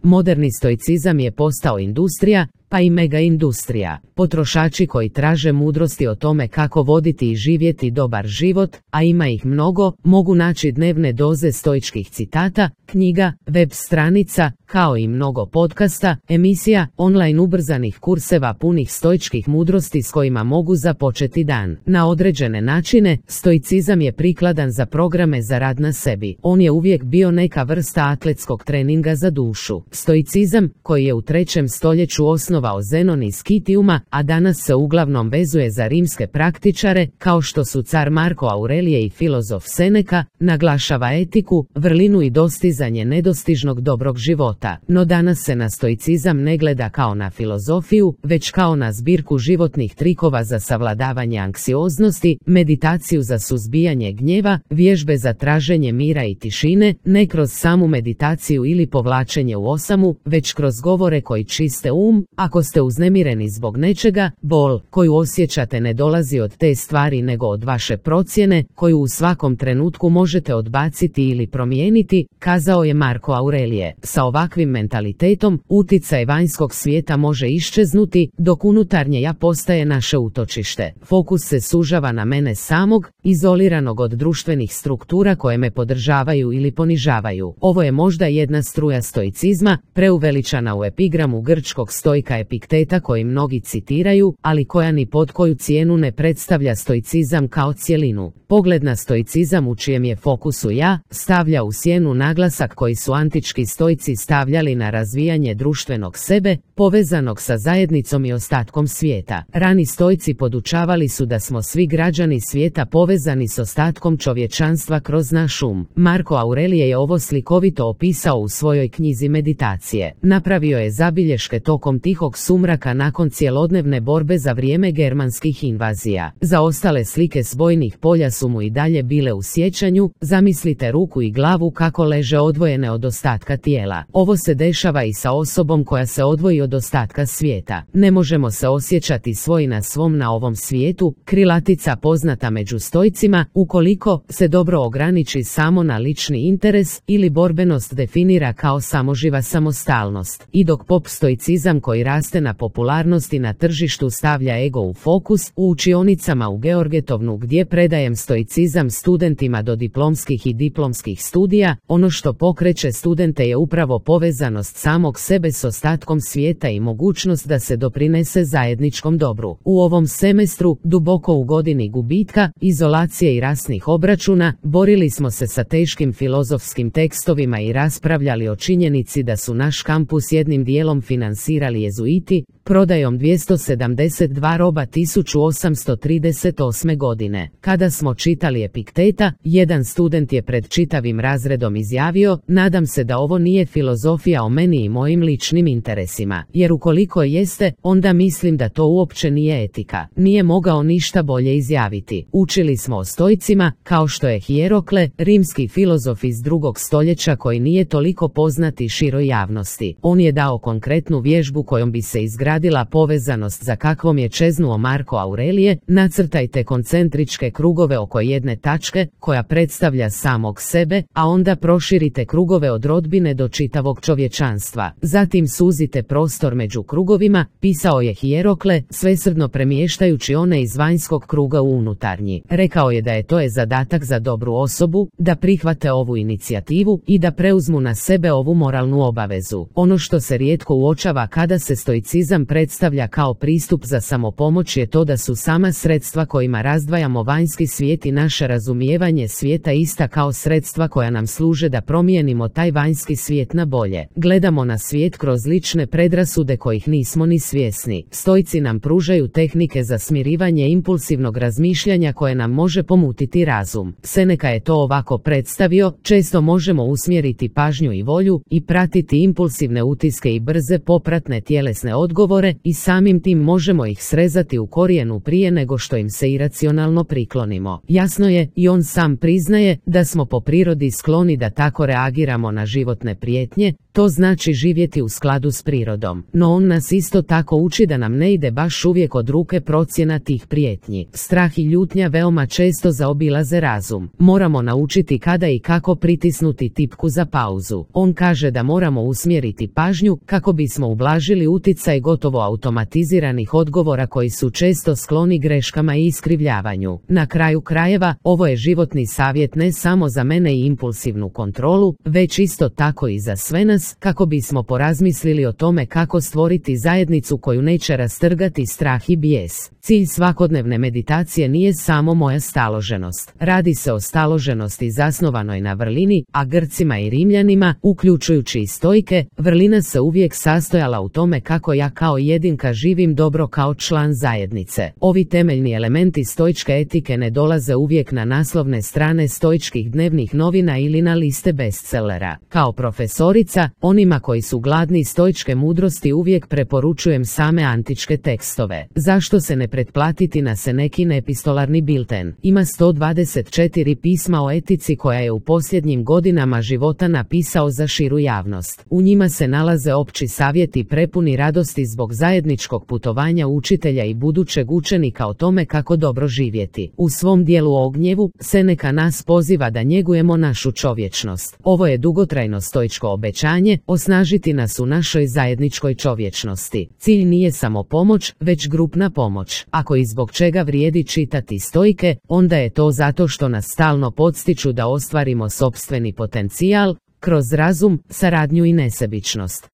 Moderni stoicizam je postao industrija, pa i mega industrija. Potrošači koji traže mudrosti o tome kako voditi i živjeti dobar život, a ima ih mnogo, mogu naći dnevne doze stoičkih citata, knjiga, web stranica, kao i mnogo podcasta, emisija, online ubrzanih kurseva punih stoičkih mudrosti s kojima mogu započeti dan. Na određene načine, stoicizam je prikladan za programe za rad na sebi. On je uvijek bio neka vrsta atletskog treninga za dušu. Stoicizam, koji je u 3. stoljeću osnovao Zenon iz Kitiuma, a danas se uglavnom vezuje za rimske praktičare, kao što su car Marko Aurelije i filozof Seneca, naglašava etiku, vrlinu i dostizanje nedostižnog dobrog života. No danas se na stoicizam ne gleda kao na filozofiju, već kao na zbirku životnih trikova za savladavanje anksioznosti, meditaciju za suzbijanje gnjeva, vježbe za traženje mira i tišine, ne kroz samu meditaciju ili povlačenje u osamu, već kroz govore koji čiste Ako ste uznemireni zbog nečega, bol koju osjećate ne dolazi od te stvari nego od vaše procjene, koju u svakom trenutku možete odbaciti ili promijeniti, kazao je Marko Aurelije. Sa ovakvim mentalitetom, uticaj vanjskog svijeta može iščeznuti, dok unutarnje ja postaje naše utočište. Fokus se sužava na mene samog, izoliranog od društvenih struktura koje me podržavaju ili ponižavaju. Ovo je možda jedna struja stoicizma, preuveličana u epigramu grčkog stoika Epikteta koji mnogi citiraju, ali koja ni pod koju cijenu ne predstavlja stoicizam kao cjelinu. Pogled na stoicizam u čijem je fokusu ja, stavlja u sjenu naglasak koji su antički stoici stavljali na razvijanje društvenog sebe, povezanog sa zajednicom i ostatkom svijeta. Rani stoici podučavali su da smo svi građani svijeta povezani s ostatkom čovječanstva kroz naš Marko Aurelije je ovo slikovito opisao u svojoj knjizi Meditacije. Napravio je zabilješke tokom tihog sumraka nakon cjelodnevne borbe za vrijeme germanskih invazija. Zaostale slike s bojnih polja su mu i dalje bile u sjećanju, zamislite ruku i glavu kako leže odvojene od ostatka tijela. Ovo se dešava i sa osobom koja se odvoji od ostatka svijeta. Ne možemo se osjećati svoj na svom na ovom svijetu, krilatica poznata među stoicima, ukoliko se dobro ograniči samo na lični interes ili borbenost definira kao samoživa samostalnost. I dok pop stoicizam koji raste na popularnosti na tržištu stavlja ego u fokus, u učionicama u Georgetovnu gdje predajem stoicizam studentima do diplomskih i diplomskih studija, ono što pokreće studente je upravo povezanost samog sebe s ostatkom svijeta i mogućnost da se doprinese zajedničkom dobru. U ovom semestru, duboko u godini gubitka, izolacije i rasnih obračuna, borili smo se sa teškim filozofskim tekstovima i raspravljali o činjenici da su naš kampus jednim dijelom finansirali jezuiti, prodajom 272 roba 1838. godine. Kada smo čitali Epikteta, jedan student je pred čitavim razredom izjavio: nadam se da ovo nije filozofija o meni i mojim ličnim interesima, jer ukoliko jeste, onda mislim da to uopće nije etika. Nije mogao ništa bolje izjaviti. Učili smo o stoicima, kao što je Hierokle, rimski filozof iz 2. stoljeća koji nije toliko poznati široj javnosti. On je dao konkretnu vježbu kojom bi se izgradila povezanost za kakvom je čeznuo Marko Aurelije. Nacrtajte koncentričke krugove oko jedne tačke, koja predstavlja samog sebe, a onda proširite krugove od rodbine do čitavog čovječanstva. Zatim suzite prostor među krugovima, pisao je Hierokle, svesrdno premještajući one iz vanjskog kruga u unutarnji. Rekao je da je to zadatak za dobru osobu, da prihvate ovu inicijativu i da preuzmu na sebe ovu moralnu obavezu. Ono što se rijetko uočava kada se stoicizam predstavlja kao pristup za samopomoć je to da su sama sredstva kojima razdvajamo vanjski svijet i naše razumijevanje svijeta ista kao sredstva koja nam služe da promijenimo taj vanjski svijet na bolje. Gledamo na svijet kroz lične predrasude kojih nismo ni svjesni. Stoici nam pružaju tehnike za smirivanje impulsivnog razmišljanja koje nam može pomutiti razum. Seneca je to ovako predstavio: često možemo usmjeriti pažnju i volju i pratiti impulsivne utiske i brze popratne tjelesne tjelesne odgovore i samim tim možemo ih srezati u korijenu prije nego što im se iracionalno priklonimo. Jasno je, i on sam priznaje, da smo po prirodi skloni da tako reagiramo na životne prijetnje, to znači živjeti u skladu s prirodom. No on nas isto tako uči da nam ne ide baš uvijek od ruke procjena tih prijetnji. Strah i ljutnja veoma često zaobilaze razum. Moramo naučiti kada i kako pritisnuti tipku za pauzu. On kaže da moramo usmjeriti pažnju kako bismo ublažili utjecaj gotovo automatiziranih odgovora koji su često skloni greškama i iskrivljavanju. Na kraju krajeva, ovo je životni savjet ne samo za mene i impulsivnu kontrolu, već isto tako i za sve nas, kako bismo porazmislili o tome kako stvoriti zajednicu koju neće rastrgati strah i bijes. Cilj svakodnevne meditacije nije samo moja staloženost. Radi se o staloženosti zasnovanoj na vrlini, a Grcima i Rimljanima, uključujući i Stoike, vrlina se uvijek sastojala u tome kako ja kao jedinka živim dobro kao član zajednice. Ovi temeljni elementi stoičke etike ne dolaze uvijek na naslovne strane stoičkih dnevnih novina ili na liste bestsellera. Kao profesorica, onima koji su gladni stoičke mudrosti uvijek preporučujem same antičke tekstove. Zašto se ne pretplatiti na Senekin epistolarni bilten? Ima 124 pisma o etici koja je u posljednjim godinama života napisao za širu javnost. U njima se nalaze opći savjeti prepuni radosti zbog zajedničkog putovanja učitelja i budućeg učenika o tome kako dobro živjeti. U svom dijelu o gnjevu, Seneca nas poziva da njegujemo našu čovječnost. Ovo je dugotrajno stoičko obećanje, osnažiti nas u našoj zajedničkoj čovječnosti. Cilj nije samo pomoć, već grupna pomoć. Ako i zbog čega vrijedi čitati Stoike, onda je to zato što nas stalno podsjeću da ostvarimo sopstveni potencijal, kroz razum, saradnju i nesebičnost.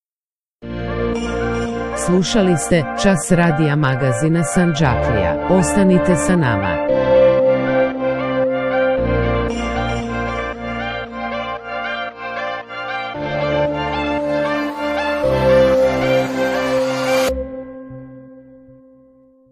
Slušali ste Čas radija magazina Sanđaklija. Ostanite sa nama.